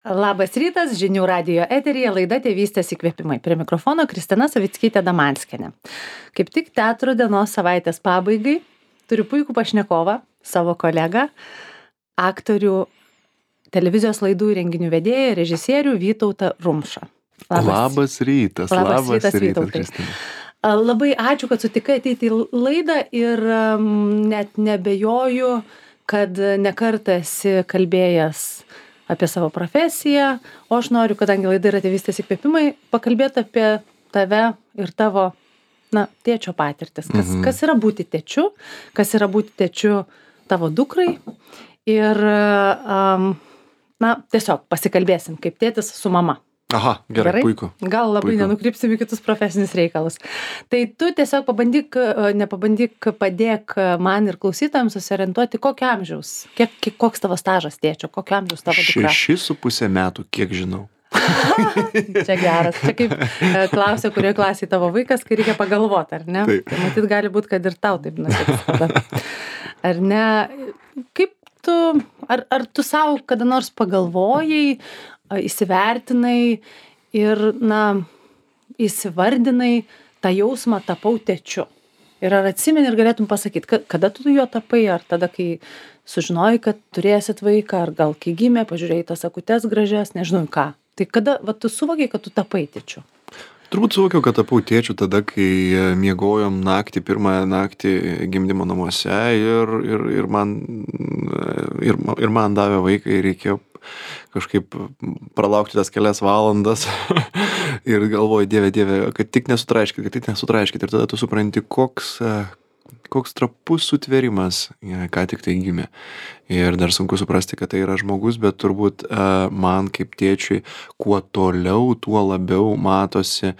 Labas rytas, žinių radijo eteryje laida Tėvystės įkvėpimai. Prie mikrofono Kristina Savickytė-Damanskienė. Kaip tik teatro dienos savaitės pabaigai turiu puikų pašnekovą, savo kolegą, aktorių, televizijos laidų ir renginių vedėją, režisierių Vytautą Rumšą. Labas rytas, Vytautai. Kristina. Labai ačiū, kad sutikai ateiti į laidą ir net nebejoju, kad nekartą esi kalbėjęs apie savo profesiją, o aš noriu, kadangi laida yra Tėvystės įkvėpimai, pakalbėti apie tave ir tavo, tėčio patirtis. Kas yra būti tėčiu, kas yra būti tėčiu tavo dukrai ir, tiesiog pasikalbėsim kaip tėtis su mama. Aha, gerai, puiku. Gal labai nenukrypsim į kitus profesinius reikalus. Tai tu tiesiog padėk man ir klausytojams susiorientuoti, kokio amžiaus, koks tavo stažas tėčio, kokio amžiaus tavo dukra. 6,5 metų, kiek žinau. Čia geras. Čia kaip klausia, kurioje klasėje tavo vaikas, kai reikia pagalvoti, ar ne? Taip. Tai matyt, gali būti, kad ir tau taip nutiks. Ar ne? Kaip tu, ar tu savo kada nors pagalvojai, įsivertinai ir, įsivardinai tą jausmą tapau tėčiu. Ir ar atsimeni ir galėtum pasakyti, kada tu jo tapai, ar tada, kai sužinojai, kad turėsit vaiką, ar gal kai gimė, pažiūrėjai tas akutes gražias, nežinau ką. Tai kada tu suvokiai, kad tu tapai tėčiu? Turbūt suvokiau, kad tapau tėčiu tada, kai miegojom pirmąją naktį gimdymo namuose ir man davė vaiką ir reikėjo kažkaip pralaukti tas kelias valandas ir galvoju, Dieve, kad tik nesutraiškit. Ir tada tu supranti, koks trapus sutvėrimas, ką tik tai gimė. Ir dar sunku suprasti, kad tai yra žmogus, bet turbūt man kaip tėčiui, kuo toliau, tuo labiau matosi,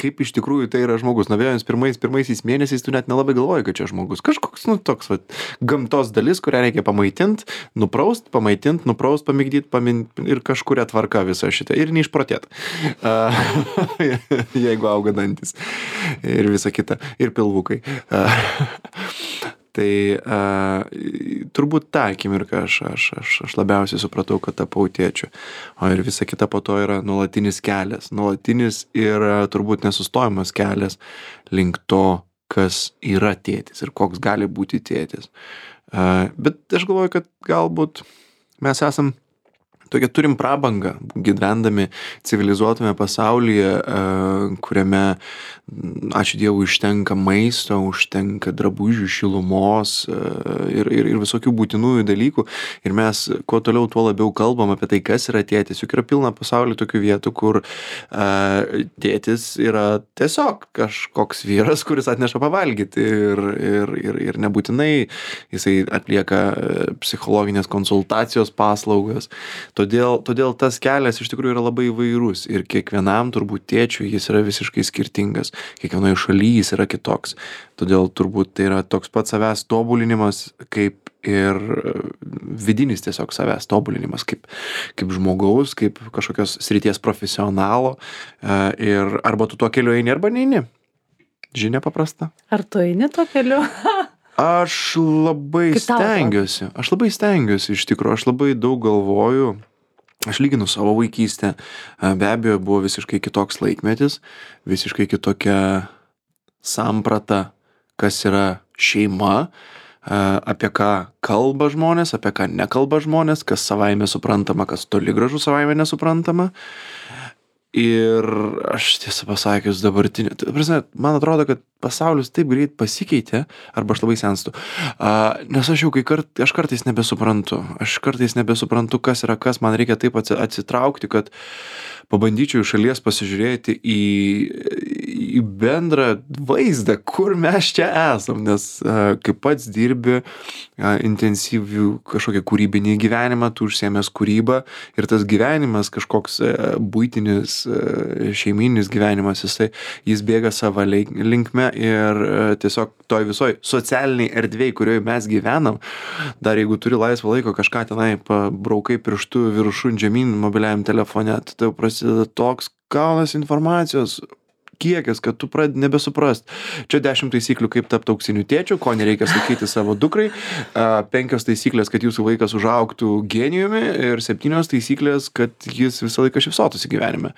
kaip iš tikrųjų tai yra žmogus. Vėlens pirmaisiais mėnesiais tu net nelabai galvoji, kad čia žmogus. Kažkoks, toks gamtos dalis, kurią reikia pamaitint, nupraust, pamigdyt, ir kažkuria tvarka visą šitą. Ir neišprotėt. Jeigu auga dantis. Ir visa kita. Ir pilvukai. Tai turbūt tą akimirką aš labiausiai supratau, kad tapau tėčiu. O ir visa kita po to yra nuolatinis kelias. Nuolatinis ir turbūt nesustojamas kelias link to, kas yra tėtis ir koks gali būti tėtis. Bet aš galvoju, kad galbūt mes esam tokia turim prabangą, gyvendami civilizuotame pasaulyje, kuriame, ačiū Dievui, užtenka maisto, užtenka drabužių, šilumos ir visokių būtinųjų dalykų. Ir mes kuo toliau, tuo labiau kalbam apie tai, kas yra tėtis. Juk yra pilna pasaulyje tokių vietų, kur tėtis yra tiesiog kažkoks vyras, kuris atneša pavalgyti ir nebūtinai jisai atlieka psichologinės konsultacijos paslaugas. Todėl tas kelias iš tikrųjų yra labai įvairus ir kiekvienam turbūt tėčiui jis yra visiškai skirtingas. Kiekvienoje šalyje jis yra kitoks. Todėl turbūt tai yra toks pats savęs tobulinimas, kaip ir vidinis tiesiog savęs tobulinimas, kaip žmogaus, kaip kažkokios srities profesionalo. Ir arba tu tuo keliu eini, arba neini. Žinia paprasta. Ar tu eini tuo keliu? Aš labai stengiuosi iš tikrųjų, aš labai daug galvoju. Aš lyginu savo vaikystę, be abejo buvo visiškai kitoks laikmetis, visiškai kitokia samprata, kas yra šeima, apie ką kalba žmonės, apie ką nekalba žmonės, kas savaime suprantama, kas toli gražu savaime nesuprantama. Ir aš tiesą pasakius dabartinė, man atrodo, kad pasaulis taip greit pasikeitė, arba aš labai senstu, nes aš jau aš kartais nebesuprantu, kas yra kas, man reikia taip atsitraukti, kad pabandyčiau iš šalies pasižiūrėti į bendrą vaizdą, kur mes čia esam, nes kai pats dirbi intensyvių kažkokią kūrybinį gyvenimą, tu užsiėmęs kūrybą ir tas gyvenimas kažkoks buitinis, šeimininis gyvenimas, jis bėga savo linkme ir tiesiog toj visoj socialiniai erdvėj, kurioje mes gyvenam, dar jeigu turi laisvą laiko kažką tenai pabraukai pirštu viršun žemyn mobiliajam telefone, tai prasideda toks kalnas informacijos, kiekis, kad tu pradedi nebesuprast. Čia 10 taisyklių, kaip tapti auksiniu tėčiu, ko nereikia sakyti savo dukrai, 5 taisyklės, kad jūsų vaikas užaugtų genijumi ir 7 taisyklės, kad jis visą laiką šypsotųsi gyvenime.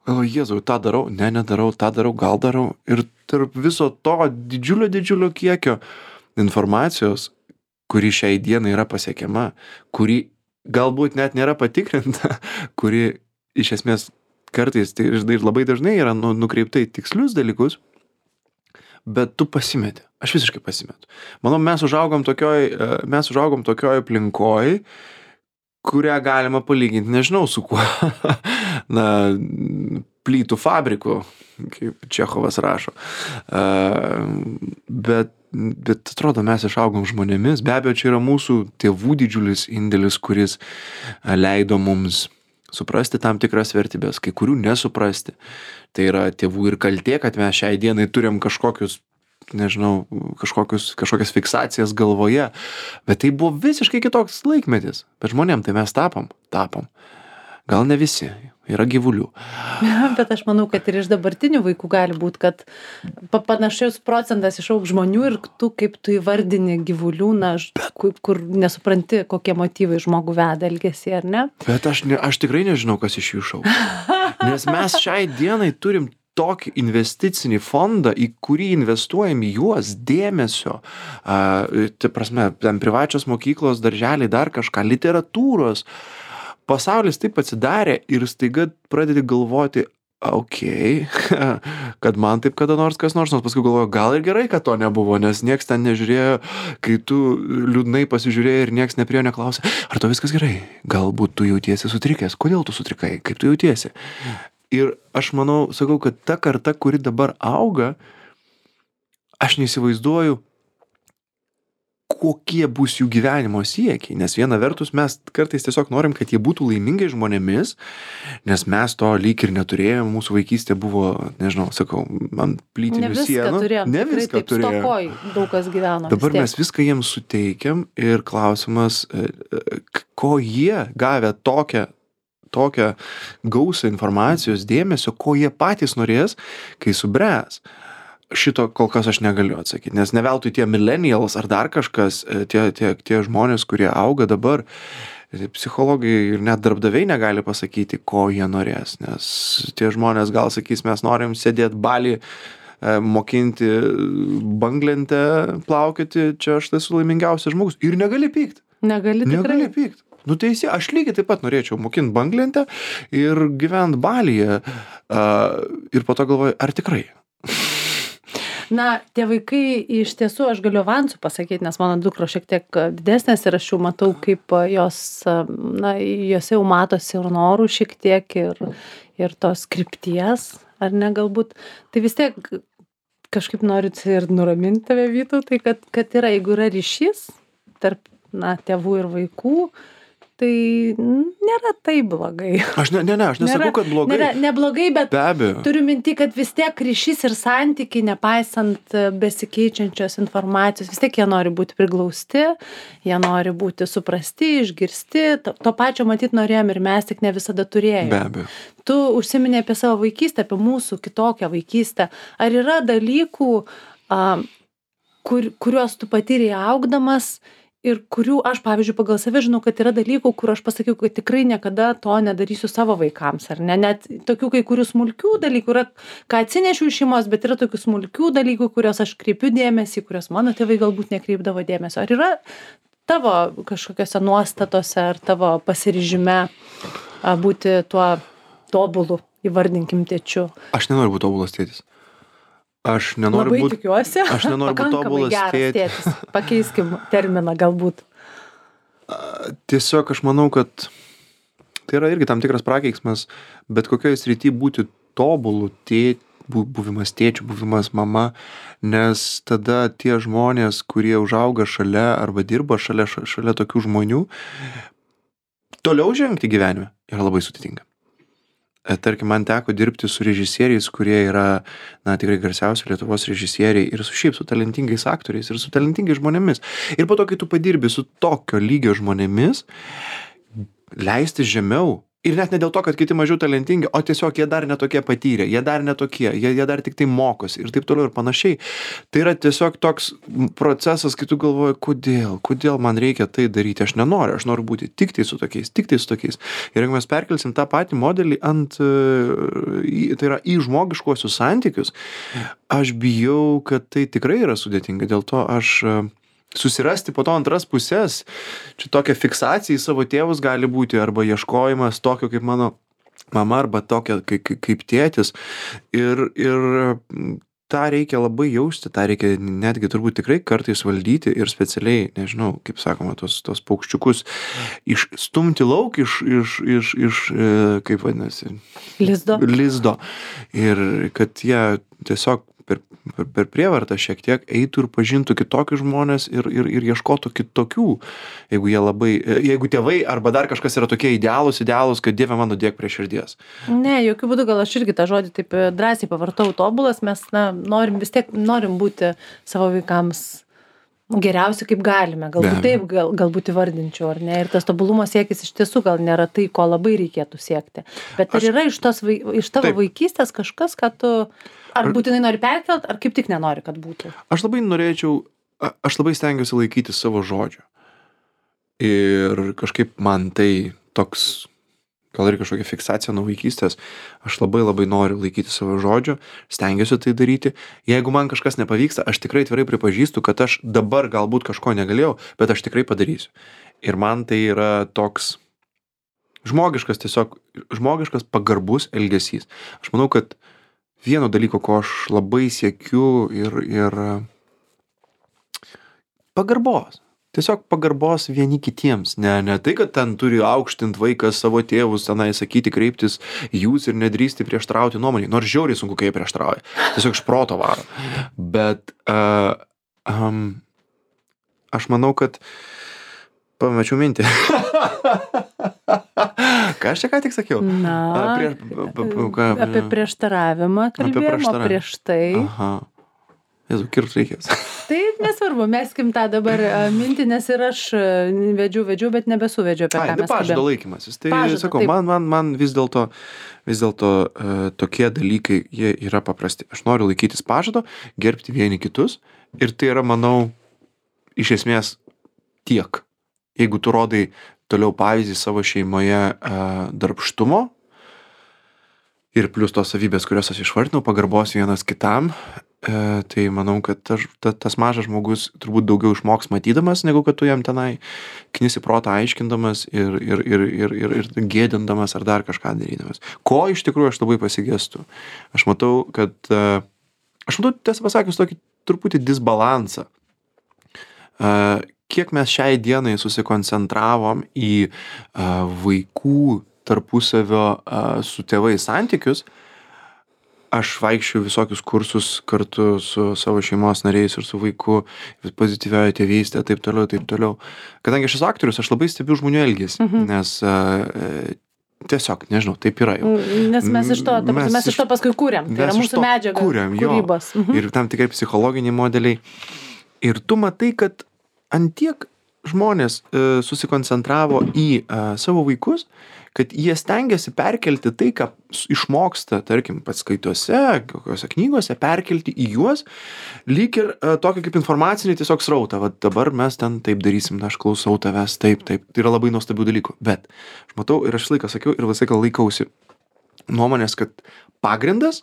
O Jėzau, tą darau, nedarau, tą darau, gal darau. Ir tarp viso to didžiulio kiekio informacijos, kuri šiai dienai yra pasiekiama, kuri galbūt net nėra patikrinta, kuri iš esmės kartais tai ir labai dažnai yra nukreipta į tikslius dalykus, bet tu pasimeti. Aš visiškai pasimetu. Manau, mes užaugom tokioj aplinkoj, kurią galima palyginti, nežinau su kuo, plytų fabriku, kaip Čechovas rašo. Bet atrodo, mes išaugom žmonėmis. Be abejo, čia yra mūsų tėvų didžiulis indėlis, kuris leido mums suprasti tam tikras vertybės, kai kurių nesuprasti. Tai yra tėvų ir kaltė, kad mes šiai dienai turim kažkokius, nežinau, kažkokias fiksacijas galvoje. Bet tai buvo visiškai kitoks laikmetis. Bet žmonėm tai mes tapom. Gal ne visi. Yra gyvulių. Bet aš manau, kad ir iš dabartinių vaikų gali būti, kad panašius procentas išaugs žmonių ir kaip tu įvardini gyvulių, kur nesupranti, kokie motyvai žmogų veda elgesį, ar ne? Bet aš tikrai nežinau, kas iš jų išaugs. Nes mes šiai dienai turim tokį investicinį fondą, į kurį investuojam į juos dėmesio. Tai prasme, ten privačios mokyklos, darželiai, dar kažką, literatūros. Pasaulis taip atsidarė ir staiga pradedi galvoti, kad man taip kada nors kas nors paskui galvoju, gal ir gerai, kad to nebuvo, nes nieks ten nežiūrėjo, kai tu liūdnai pasižiūrėjai ir nieks nepriėjo neklausė, ar to viskas gerai, galbūt tu jautiesi sutrikęs, kodėl tu sutrikai, kaip tu jautiesi. Ir aš manau, sakau, kad ta karta, kuri dabar auga, aš neįsivaizduoju, kokie bus jų gyvenimo siekiai, nes viena vertus mes kartais tiesiog norim, kad jie būtų laimingai žmonėmis, nes mes to lyg ir neturėjom, mūsų vaikystė buvo, nežinau, sakau, ant plytinių sienų. Ne viską turėjom. Stokoj daug kas gyveno. Dabar mes viską jiems suteikiam ir klausimas, ko jie gavę tokią gausą informacijos, dėmesio, ko jie patys norės, kai subręs. Šito kol kas aš negaliu atsakyti, nes ne veltui tie millennials ar dar kažkas, tie žmonės, kurie auga dabar, psichologai ir net darbdaviai negali pasakyti, ko jie norės, nes tie žmonės gal sakys, mes norim sėdėti Bali, mokinti banglentę, plaukioti, čia aš esu laimingiausias žmogus ir negali pykt. Negali pykt. Nu teisė, aš lygiai taip pat norėčiau mokinti banglentę ir gyventi Balyje ir po to galvoju, ar tikrai? Na, tie vaikai iš tiesų, aš galiu avansų pasakyti, nes mano dukros šiek tiek didesnės ir aš jau matau, kaip jose jau matosi ir norų šiek tiek ir tos krypties, ar ne galbūt. Tai vis tiek kažkaip noriu ir nuraminti tave, Vytautai, kad yra, jeigu yra ryšys tarp tėvų ir vaikų, tai nėra taip blogai. Aš nesakau, kad blogai. Neblogai, bet be abejo. Turiu minti, kad vis tiek ryšys ir santykiai, nepaisant besikeičiančios informacijos, vis tiek jie nori būti priglausti, jie nori būti suprasti, išgirsti. To pačio matyt norėjom ir mes, tik ne visada turėjome. Be abejo. Tu užsiminei apie savo vaikystę, apie mūsų kitokią vaikystę. Ar yra dalykų, kuriuos tu patyrei augdamas, ir kurių aš, pavyzdžiui, pagal save žinau, kad yra dalykų, kur aš pasakiau, kad tikrai niekada to nedarysiu savo vaikams, ar ne? Net tokių kai kurių smulkių dalykų yra, ką atsinešiu iš šeimos, bet yra tokių smulkių dalykų, kuriuos aš kreipiu dėmesį, kuriuos mano tėvai galbūt nekreipdavo dėmesio. Ar yra tavo kažkokiose nuostatose ar tavo pasiryžime būti tuo tobulu, įvardinkim, tėčiu? Aš nenoriu būti tobulas tėtis. Aš nenoriu būti tobulas tėtis. Pakeiskim terminą galbūt. Tiesiog aš manau, kad tai yra irgi tam tikras prakeiksmas, bet kokioje srity būti tobulu buvimas tėčiu, buvimas mama, nes tada tie žmonės, kurie užauga šalia arba dirba šalia tokių žmonių, toliau žengti gyvenime yra labai sudėtinga. Tarkim, man teko dirbti su režisieriais, kurie yra, tikrai garsiausi Lietuvos režisieriai ir su talentingais aktoriais ir su talentingais žmonėmis. Ir po to, kai tu padirbi su tokio lygio žmonėmis, leisti žemiau Ir net ne dėl to, kad kiti mažiau talentingi, o tiesiog jie dar netokie patyrę, jie dar netokie, jie dar tik tai mokosi ir taip toliau ir panašiai. Tai yra tiesiog toks procesas, kai tu galvoji, kodėl man reikia tai daryti, aš noriu būti tik tai su tokiais. Ir jeigu mes perkelsim tą patį modelį tai yra į žmogiškuosius santykius, aš bijau, kad tai tikrai yra sudėtinga, dėl to aš susirasti po to antras pusės, čia tokia fiksacija į savo tėvus gali būti, arba ieškojimas tokio kaip mano mama, arba tokia kaip tėtis. Ir tą reikia labai jausti, tą reikia netgi turbūt tikrai kartais valdyti ir specialiai, nežinau, kaip sakoma, tos paukščiukus išstumti lauk iš kaip vadinasi? Lizdo. Ir kad jie tiesiog per prievartą šiek tiek eitų ir pažintų kitokius žmonės ir ieškotų kitokių, jeigu tėvai arba dar kažkas yra tokie idealūs, kad Dieve mano dėk prie širdies. Ne, jokių būdų, gal aš irgi tą žodį taip drąsiai pavartau tobulas, mes norim būti savo vaikams geriausi kaip galime, galbūt taip, galbūt įvardinčiau, ar ne, ir tas tobulumo siekis iš tiesų gal nėra tai, ko labai reikėtų siekti, bet ar yra iš tavo vaikystės kažkas, kad tu ar būtinai nori perkelt, ar kaip tik nenori, kad būtų? Aš labai stengiuosi laikyti savo žodžio. Ir kažkaip man tai toks, gal ir kažkokia fiksacija nuo vaikystės, aš labai noriu laikyti savo žodžio, stengiuosi tai daryti. Jeigu man kažkas nepavyksta, aš tikrai atvirai pripažįstu, kad aš dabar galbūt kažko negalėjau, bet aš tikrai padarysiu. Ir man tai yra toks žmogiškas pagarbus elgesys. Aš manau, kad vieno dalyko, ko aš labai siekiu ir pagarbos. Tiesiog pagarbos vieni kitiems. Ne tai, kad ten turi aukštint vaikas savo tėvus, tenai sakyti, kreiptis jūs ir nedrįsti prieštrauti nuomonį. Nors žiauriai sunku, kai jie prieštrauja. Tiesiog iš proto varo. Bet aš manau, kad pamečiau mintį. Ką aš čia ką tik sakiau? Apie prieštaravimą kalbėjom, o prieš tai. Aha. Jezu, kirpt reikės. Tai nesvarbu, meskim tą dabar mintį, nes ir aš vedžiau, bet nebesuvedžiu apie ką mes kalbėjom. Pažado laikymasis. Tai sakau, man vis dėlto tokie dalykai, jie yra paprasti. Aš noriu laikytis pažado, gerbti vieni kitus ir tai yra, manau, iš esmės tiek. Jeigu tu rodai toliau pavyzdį savo šeimoje darbštumo ir plus tos savybės, kurios aš išvardinau, pagarbos vienas kitam, tai manau, kad tas mažas žmogus turbūt daugiau išmoks matydamas, negu kad tu jam tenai knisi protą aiškindamas ir gėdindamas ar dar kažką darydamas. Ko iš tikrųjų aš labai pasigestu? Aš matau, tiesą pasakius, tokį truputį disbalansą. Kiek mes šiai dienai susikoncentravom į vaikų tarpusavio su tėvais santykius, aš vaikščiau visokius kursus kartu su savo šeimos nariais ir su vaiku, pozityvioji tėvystė, taip toliau. Kadangi aš esu aktorius, aš labai stebiu žmonių elgesį, nes tiesiog, nežinau, taip yra jau. Nes mes iš to paskui kūrėm, tai yra mūsų medžiaga, kūrybos. Ir tam tikrai psichologiniai modeliai. Ir tu matai, kad antiek žmonės susikoncentravo į savo vaikus, kad jie stengiasi perkelti tai, ką išmoksta, tarkim, paskaitose, kokiose knygose, perkelti į juos, lyg ir tokį kaip informacinį tiesiog srautą. Va dabar mes ten taip darysim, aš klausau tavęs, taip. Tai yra labai nuostabių dalykų. Bet aš matau ir aš visą laiką sakiau ir visą laiką laikausi nuomonės, kad pagrindas,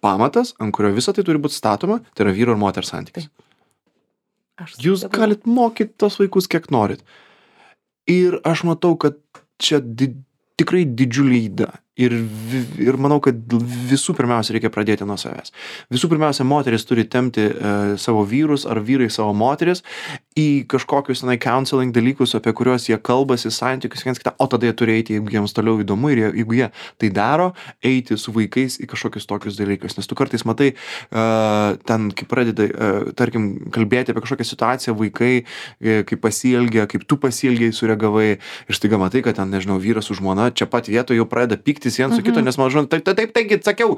pamatas, ant kurio visą tai turi būti statoma, tai yra vyro ir moters santykis. Jūs galit mokyti tos vaikus kiek norit. Ir aš matau, kad čia tikrai didžiulė yda. Ir manau, kad visų pirmiausia reikia pradėti nuo savęs. Visų pirmiausia, moteris turi tempti savo vyrus ar vyrai savo moteris į kažkokius counseling dalykus, apie kuriuos jie kalbasi, santykius viens kitą, o tada jie turi eiti, jeigu jiems toliau įdomu ir jeigu jie tai daro, eiti su vaikais į kažkokius tokius dalykus. Nes tu kartais matai, ten, kai pradeda, tarkim, kalbėti apie kažkokią situaciją, vaikai, kaip pasielgia, kaip tu pasielgiai, sureagavai ir staiga matai, kad ten, nežinau, vyras su žmona čia pat vietoje jau pradeda pyktis vien su kito, nes man žinau, taigi sakiau,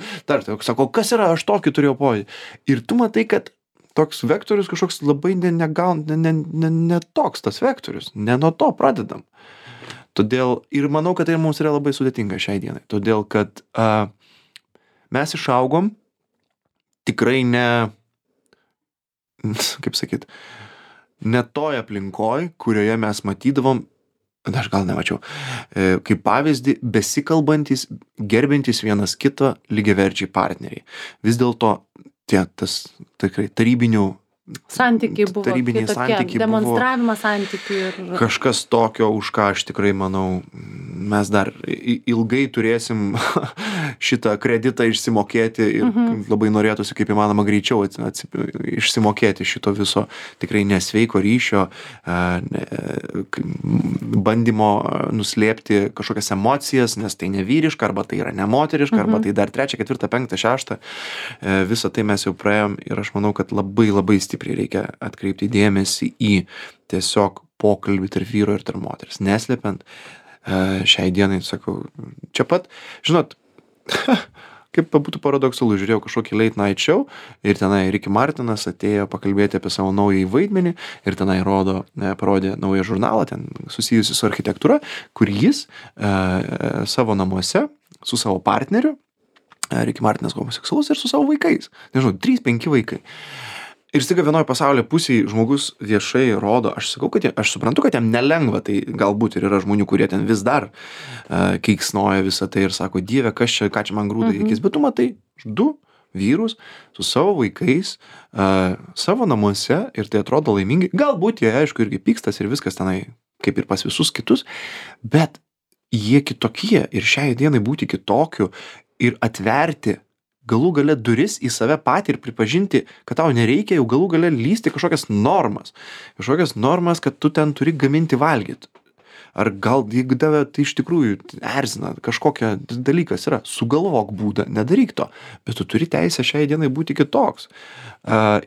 sako, kas yra, aš tokį turėjau pojūtį. Ir tu matai, kad toks vektorius kažkoks labai ne toks tas vektorius, ne nuo to pradedam. Todėl ir manau, kad tai mums yra labai sudėtinga šiai dienai. Todėl, kad mes išaugom tikrai ne, kaip sakyt, ne toj aplinkoj, kurioje mes matydavom, aš gal nemačiau, kaip pavyzdį, besikalbantis, gerbintis vienas kitą lygiaverčiai partneriai. Vis dėlto tas tikrai tarybiniai Santykiai santykiai demonstravimas santykių ir... kažkas tokio, už ką aš tikrai manau, mes dar ilgai turėsim šitą kreditą išsimokėti ir labai norėtųsi kaip įmanoma greičiau išsimokėti šito viso tikrai nesveiko ryšio, bandymo nuslėpti kažkokias emocijas, nes tai nevyriška, arba tai yra nemoteriška, arba tai dar 3, 4, 5, 6. Visą tai mes jau praėjom ir aš manau, kad labai labai stipriai reikia atkreipti dėmesį į tiesiog pokalbį tarp vyro ir tarp moters. Neslepiant, šiai dienai, sakau, čia pat, žinot, kaip būtų paradoksalu, žiūrėjau kažkokį late night show ir tenai Ricky Martinas atėjo pakalbėti apie savo naująjį vaidmenį ir tenai parodė naują žurnalą, ten susijusi su architektūra, kur jis savo namuose su savo partneriu, Ricky Martinas homoseksualus ir su savo vaikais, nežinau, 3-5 vaikai. Ir staiga vienoje pasaulio pusėje žmogus viešai rodo, aš suprantu, kad jam nelengva, tai galbūt ir yra žmonių, kurie ten vis dar keiksnoja visą tai ir sako, Dieve, ką čia man grūda į akis, bet tu matai 2 vyrus su savo vaikais savo namuose ir tai atrodo laimingi, galbūt jie, aišku, irgi pykstas ir viskas tenai, kaip ir pas visus kitus, bet jie kitokie ir šiai dienai būti kitokiu ir atverti galų gale duris į save patį ir pripažinti, kad tau nereikia jau galų gale lysti kažkokias normas, kad tu ten turi gaminti valgyti. Ar gal, jeigu tave tai iš tikrųjų erzina, kažkokia dalykas yra, sugalvok būdą, nedaryk to, bet tu turi teisę šiai dienai būti kitoks.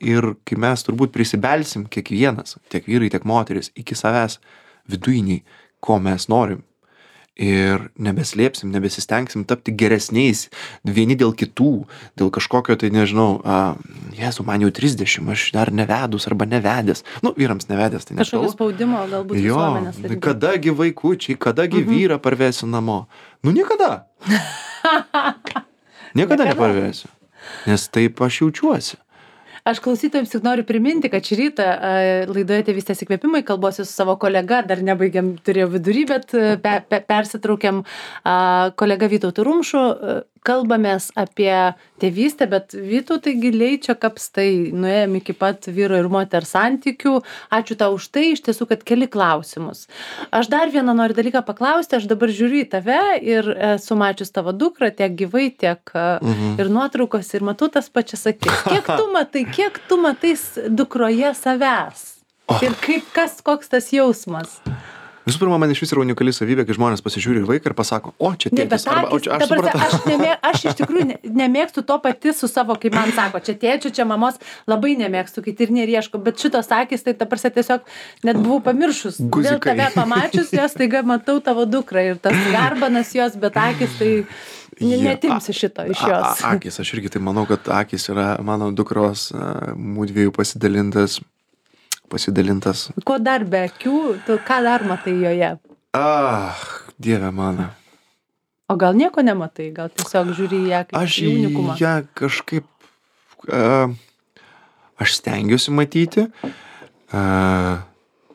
Ir kai mes turbūt prisibelsim kiekvienas, tiek vyrai, tiek moteris, iki savęs vidujiniai, ko mes norim, ir nebeslėpsim, nebesistengsim tapti geresniais vieni dėl kitų, dėl kažkokio, tai nežinau, Jėzu, man jau 30, aš dar nevedus arba nevedęs. Vyrams nevedęs, tai nežinau. Kažkokio spaudimo galbūt visuomenės. Kadagi vaikučiai, kadagi vyrą parvesiu namo. Niekada. Niekada neparvesiu. Nes taip aš jaučiuosi. Aš klausytojams tik noriu priminti, kad šį rytą laidoje Tėvystės įkvėpimai kalbuosi su savo kolega, dar nebaigiam, turėjau vidury, bet persitraukiam kolega Vytautu Rumšu, kalbamės apie tėvystę, bet Vytautai giliai čia kapstai, nuėjom iki pat vyro ir moters santykių. Ačiū tau už tai, iš tiesų, kad keli klausimus. Aš dar vieną noriu dalyką paklausti, aš dabar žiūriu į tave ir esu mačius tavo dukrą tiek gyvai, tiek ir nuotraukos ir matau tas pačias akis. Kiek tu matai dukroje savęs? Ir koks tas jausmas? Visų pirma, man iš vis yra unikali savybė, kai žmonės pasižiūri į vaiką ir pasako, čia tėtis. Aš iš tikrųjų nemėgstu to pati su savo, kaip man sako, čia tėčio, čia mamos, labai nemėgstu, kai ir nerieško, bet šitos akis, tai ta prasme tiesiog net buvau pamiršus. Dėl tave pamačius, jos taiga matau tavo dukrą ir tas garbanas jos, bet akis tai... Netimsi šito iš jos. Akis, aš irgi tai manau, kad akis yra mano dukros mūdviejų pasidalintas. Ko dar be akių, tu ką dar matai joje? Dieve mano. O gal nieko nematai, gal tiesiog žiūri į ją kaip į unikumą? Aš ją kažkaip, aš stengiuosi matyti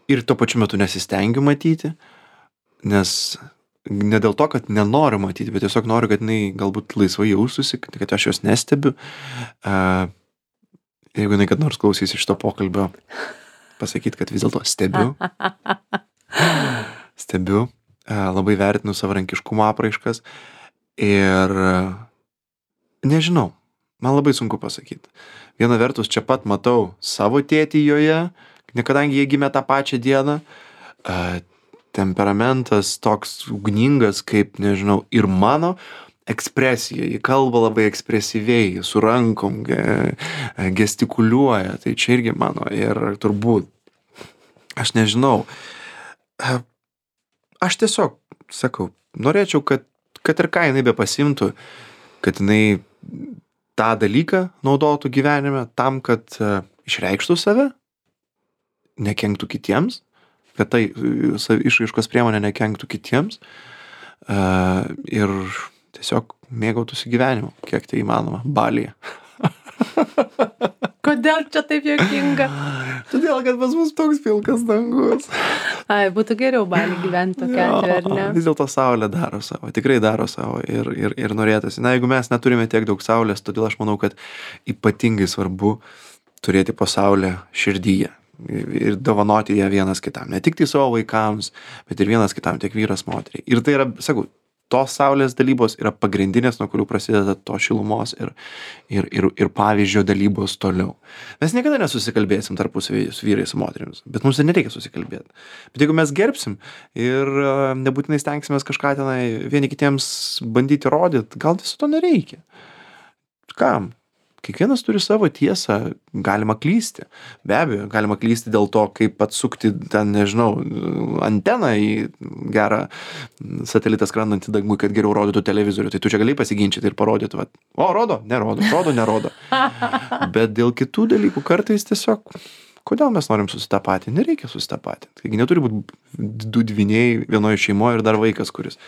ir tuo pačiu metu nesistengiu matyti, nes ne dėl to, kad nenoriu matyti, bet tiesiog noriu, kad jinai galbūt laisvai jaustųsi, kad aš jos nestebiu. Jeigu jinai kad nors klausys iš to pokalbio, pasakyti, kad vis dėlto stebiu, labai vertinu savarankiškumo apraiškas ir nežinau, man labai sunku pasakyti. Viena vertus, čia pat matau savo tėtį joje, kadangi jie gimė tą pačią dieną, temperamentas toks ugningas, kaip, nežinau, ir mano ekspresija, ji kalba labai ekspresyviai, su rankom, gestikuliuoja, tai čia irgi mano ir turbūt, aš nežinau, aš tiesiog sakau, norėčiau, kad ir ką jinai be pasimtų, kad jinai tą dalyką naudotų gyvenime tam, kad išreikštų save, nekenktų kitiems, kad tai išraiškos priemonė nekenktų kitiems ir tiesiog mėgautųsi gyvenimu, kiek tai įmanoma, Balyje. Kodėl čia taip juokinga? Todėl, kad pas mus toks pilkas dangus. Ai, būtų geriau Baly gyventi tokia atveju, ar ne? Vis dėlto saulė daro savo, tikrai daro savo ir norėtųsi. Na, jeigu mes neturime tiek daug saulės, todėl aš manau, kad ypatingai svarbu turėti po saulę širdyje ir dovanoti ją vienas kitam. Ne tik tai savo vaikams, bet ir vienas kitam, tiek vyras, moteriai. Ir tai yra, sakau, tos saulės dalybos yra pagrindinės, nuo kurių prasideda to šilumos ir pavyzdžio dalybos toliau. Mes niekada nesusikalbėsim tarpusavy su vyrais, su moterimis, bet mums ir nereikia susikalbėti. Bet jeigu mes gerbsim ir nebūtinai stengsimės kažką tenai vieni kitiems bandyti rodyti, gal viso to nereikia. Kam? Kiekvienas turi savo tiesą, galima klysti. Be abejo, galima klysti dėl to, kaip atsukti ten, nežinau, anteną į gerą satelitą skrendantį dangų, kad geriau rodytų televizorių. Tai tu čia gali pasiginčyti ir parodyti, va, o, rodo, nerodo. Bet dėl kitų dalykų kartais tiesiog, kodėl mes norim susitapatinti? Nereikia susitapatinti. Taigi neturi būti du dvyniai vienoje šeimoje ir dar vaikas, kuris.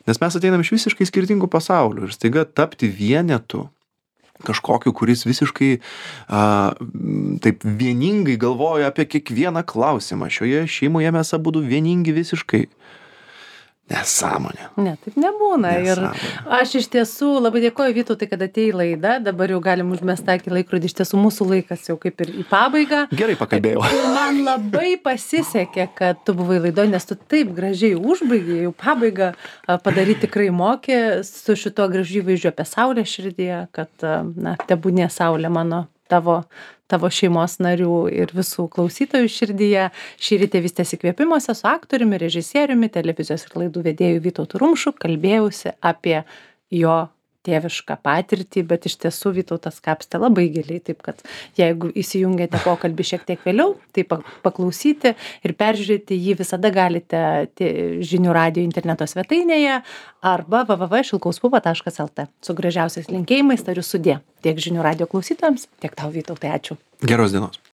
Nes mes ateinam iš visiškai skirtingų pasaulių ir staiga tapti vienetu, kažkokiu, kuris visiškai taip vieningai galvoja apie kiekvieną klausimą. Šioje šeimoje mes abudu vieningi visiškai. Nesąmonė. Ne, taip nebūna. Nesąmonė. Ir aš iš tiesų labai dėkoju Vytautai, kad atėjai į laidą. Dabar jau galim užmest akį laikrodį. Iš tiesų mūsų laikas jau kaip ir į pabaigą. Gerai pakalbėjau. Ir man labai pasisekė, kad tu buvai laidoje, nes tu taip gražiai užbaigė, jau pabaigą padaryti tikrai mokė su šito gražiu įvaizdžiu apie saulę širdyje, kad, na, tebūnie saulė mano tavo šeimos narių ir visų klausytojų širdyje. Šįryt Tėvystės įkvėpimuose su aktoriumi, režisieriumi, televizijos ir laidų vedėju Vytautu Rumšu kalbėjausi apie jo tėvišką patirtį, bet iš tiesų Vytautas kapstė labai giliai, taip kad jeigu įsijungėte pokalbį šiek tiek vėliau, tai paklausyti ir peržiūrėti jį visada galite Žinių radijo interneto svetainėje arba www.šilkauspupa.lt. Su gražiausiais linkėjimais tariu sudie tiek Žinių radijo klausytojams, tiek tau, Vytautai, ačiū. Geros dienos.